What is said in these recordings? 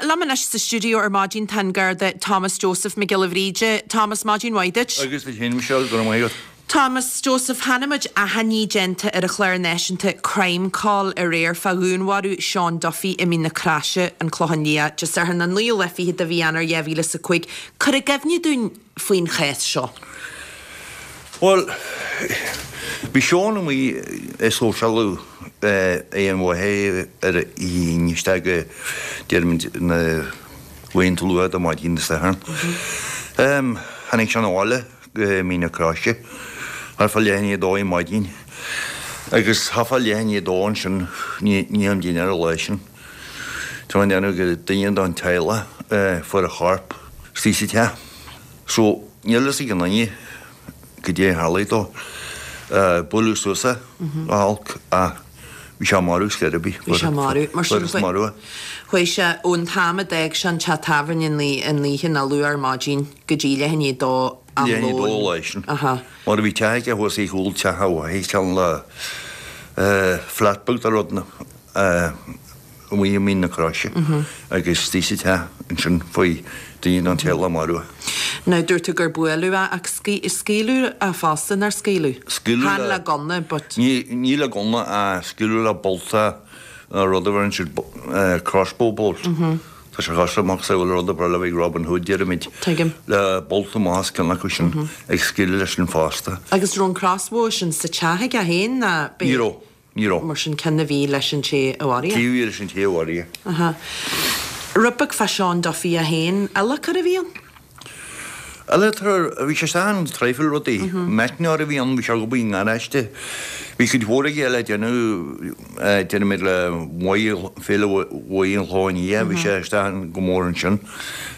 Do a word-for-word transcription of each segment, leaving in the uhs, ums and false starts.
liom anois sa stiúideo ar maidin tá an Garda Thomas Joseph Mac Giolla Bhríde. Thomas, maidin mhaith duit. Agus duit féin, Michelle, go raibh maith agat. Thomas Joseph, chonaic muid achainí déanta ar an chlár náisiúnta Crimecall aréir fá dhúnmharú Seán Duffy i Mín na Croise, an Clochán Liath, Dé Sathairn an naoú lá fichead de mhí Eanáir dhá mhíle is a cúig. Cuir i gcuimhne dúinn faoin chás seo. Bhuel, bhí Seán amuigh ag sóisialú ag an mhaithe ar an Aoine isteach go, déarfaimid, na laethanta luath de maidin Dé Sathairn. Tháinig sé 'na bhaile go Mín na Croise thart fá leath i ndiaidh a dó ar maidin agus thart fá leath i ndiaidh a dó ansin i ndiaidh am dinnéir an lá sin. Tá mé ag déanamh gur duine den teaghlach fuair a chorp istigh sa teach. So níl fhios ag aon duine goidé a tharlaigh dó. Buaileadh suas é go holc ach bhí sé marbh scor ar bith. Bhí sé marbh. Mar sin Fuarthas marbh é. chuaigh sé ón t-am a d'fhág sé an teach tábhairne an oíche nó luath ar maidin go dtí leath i ndiaidh a dó am Leath i ndiaidh a dó lóin. an lá sin. Aha. Mar bhí teach aige thuas ar chúl teach a mháthar, ceann le flat beag de rud amuigh i Mín na Croise agus istigh sa teach ansin fuair duine den teaghlach marbh é. Now dúirt tú gur buaileadh é ach scaoileadh é fosta, nár scaoileadh? Scaoileadh Chan le le gunna but. Ní ní le gunna ach scaoileadh le bolta nó rud a bheireann siad crossbow bolt. Tá sé cosúil le macasamhail rud a bhreá le bheith ag Robin Hood deirimid. Tuigim. Le bolta amach as ceann acu sin ag scaoileadh leis sin fosta. Agus raibh an crossbow sin sa teach aige féin ná Ní raibh. Ní raibh. Mar sin ceann a bhí leis an té a mharaigh é. Cé a bhí leis an té a mharaigh é. Aha. Rud beag fá Seán Duffy é féin, adhlacóir a bhí ann? Adhlacóir, bhí sé isteach in traidhfil rudaí. Meicneoir a bhí ann, bhí sé ag obair i ngaráiste. Bhí cuid mhór aige le déanamh, déarfaimid le Mhaigh, Féile Mhaigh an Chlocháin Liath, bhí sé isteach go mór ansin.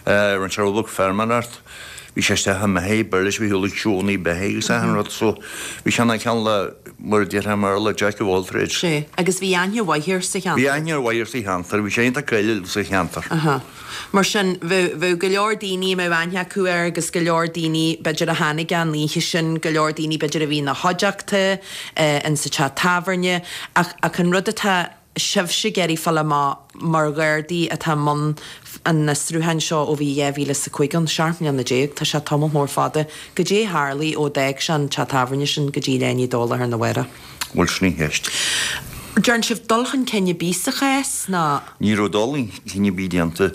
Rinne sé rud beag feirmeoireacht. Bhí sé isteach i mbeithígh, b'fhearr leis a bheith ag siúl na beithígh agus achan rud so bhí sé ina cheann le, mar a déarfá i mBéarla, jack of all trades. Sea, agus bhí aithne mhaith air sa cheantar. Bhí aithne mhaith air sa cheantar, bhí sé iontach cáiliúil sa cheantar. Aha. Mar sin, bheadh, bheadh go leor daoine a mbeadh aithne acu air agus go leor daoine b'fhéidir a tháinig an oíche sin, go leor daoine b'fhéidir a bhí ina chuideachta, in sa teach tábhairne ach, ach an rud atá, sibhse ag iarraidh fáil amach mar Ghardaí atá i mbun an fhiosrúcháin seo ó bhí dhá mhíle is a cúig ann, seacht mbliana déag, tá sé tamall mór fada. Goidé a tharlaigh ó d'fhág sé an teach tábhairne sin go dtí leath i ndiaidh a dó lá arna mhárach? Bhuel, sin í an cheist. Dearn sibh dul chun cinn ar bith sa chás ná? Ní raibh dul chun cinn ar bith déanta.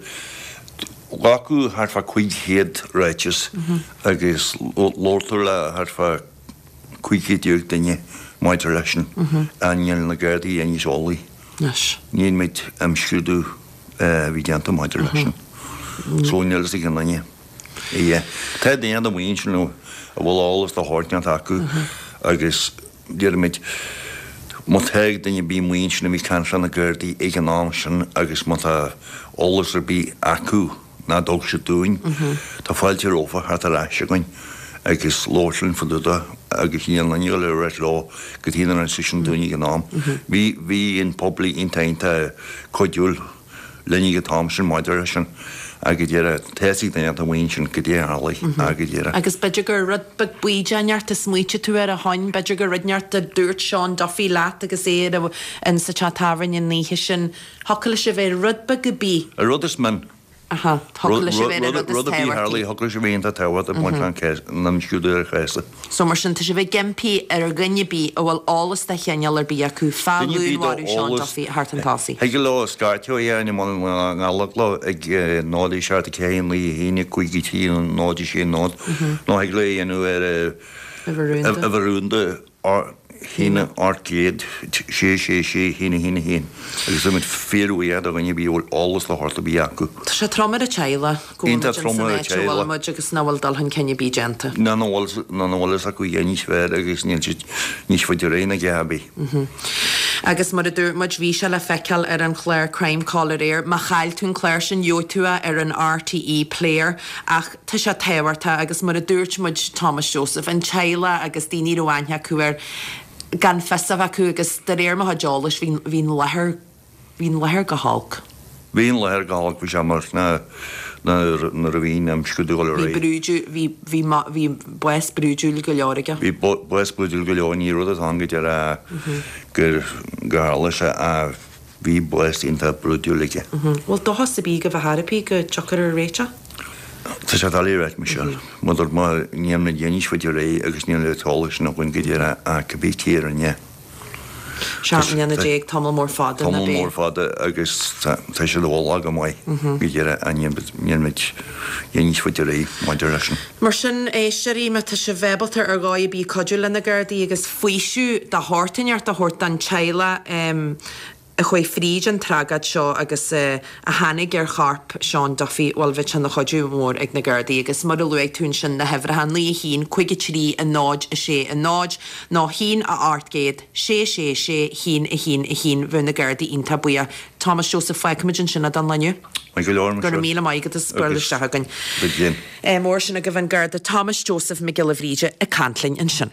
Glacadh thart fá cúig chéad ráiteas agus labhair tú le thart fá cúig chéad déag duine maidir leis sin. Níl na Gardaí aon níos eolaí. Níl muid imscrúdú a bhí déanta maidir leis sin. So níl fhios ag aon duine. Yeah. Tá daoine amuigh ansin a bhfuil eolas de shórt inteacht acu agus déarfaimid má tá duine ar bith amuigh ansin a bhí ag caint le na Gardaí ag an am sin agus má tá eolas ar bith acu nach dtug siad dúinn. Tá fáilte rompu theacht ar ais chugainn agus labhairt linn fá dtaobh de agus níl aon duine ag dul a ráit leo cad chuige nár inis siad sin dúinn ag an am. Bhí, bhí an pobal iontach, iontach cuidiúil linn ag an t-am sin maidir leis sin ach go díreach, tá fhios ag duine atá amuigh ansin goidé a tharlaigh ach go díreach. Agus b'fhéidir gur rud beag baoideach inteacht a smaoitigh tú air a shoin, b'fhéidir gur rud inteacht a dúirt Seán Duffy leat agus é ar in sa teach tábhairne an oíche sin, thiocfadh leis a bheith rud beag ar bith. An rud is min. Aha, thiocfadh leis a bheith an rud is Rud ar bith a tábhachtaí. tharlaigh, thiocfadh leis a bheith iontach tábhachtach ag baint le an cás, an imscrúdú ar an chás. So mar sin, tá sibh ag impí ar dhuine ar bith a bhfuil eolas de chineál ar bith acu fá Duine ar bith dá dhúnmharú Seán eolas, Duffy a theacht chun tosaigh. thig leo scairteadh ar an mBun na nGallóglach ag náid a seacht a ceathair naoi a haon a cúig a trí náid a sé náid nó thig leo é a dhéanamh ar Uimhir rúnda. uimhir rúnda haon ocht gcéad sé sé sé haon a haon a haon agus tá muid fíorbhuíoch do dhuine ar bith a bhfuil eolas de shórt ar bith acu. Tá sé trom ar an teaghlach go bhfuil muid Iontach trom ins an ar an áit a bhfuil teaghlach. muid agus nach bhfuil dul chun cinn ar bith déanta. Ná nach bhfuil ná nach bhfuil fhios acu a dhath níos fearr agus níl siad níos faide ar aghaidh ná a dhath ar bith. Agus mar a dúirt muid bhí sé le feiceáil ar an chlár Crimecall aréir. Má chaill tú an clár sin gheobhaidh tú é ar an RTÉ Player ach tá sé tábhachtach agus mar a dúirt muid Thomas Joseph, an teaghlach agus daoine a raibh aithne acu air gan fios a bheith acu agus de réir mo chuid eolais bhí bhí an láthair bhí an láthair go holc. Bhí an láthair go holc, bhí sé mar na nuair nuair a bhí an imscrúdú ag dul ar Bhí aghaidh. brúidiú bhí bhí bhí bás brúidiúil go leor aige. Bhí bás brúidiúil go leor, ní rud atá ann go deireadh gur gur tharla sé ach bhí bás iontach brúidiúil aige. Bhfuil dóchas ar bith go bhfear ar bith go dtiocfar ar réiteach? Tá sé doiligh a ráit, Michelle. Mar dúirt mé, níl na déanaí faoi réir agus níl an t-eolas sin againn go díreach ach cibé cé a rinne. Seacht mbliana déag, tamall mór fada, ná Tamall bé? mór fada agus tá siad i bhfolach go maith go díreach ach níl muid níos faide ar aghaidh maidir leis sin. Mar sin, éisteoirí, má tá sibh ábalta ar dhóigh ar bith cuidiú le na Gardaí agus faoiseamh de shórt inteacht a thabhairt don teaghlach a chuaigh fríd an tragóid seo agus a tháinig ar chorp Seán Duffy, bhuel, bheadh sé ina chuidiú mór ag na Gardaí agus mar a luaigh tú ansin na huimhreacha, naoi a haon, cúig a trí, a náid, a sé, a náid, nó haon a ocht gcéad, sé sé sé, haon a haon, a haon, bheadh na Gardaí iontach buíoch. Thomas Joseph, fágfaimid ansin é don lá inniu. Maith go leor, Go raibh míle maith agat as bualadh isteach againn. Agus Mar sin agaibh an Garda Thomas Joseph Mac Giolla Bhríde ag caint linn ansin.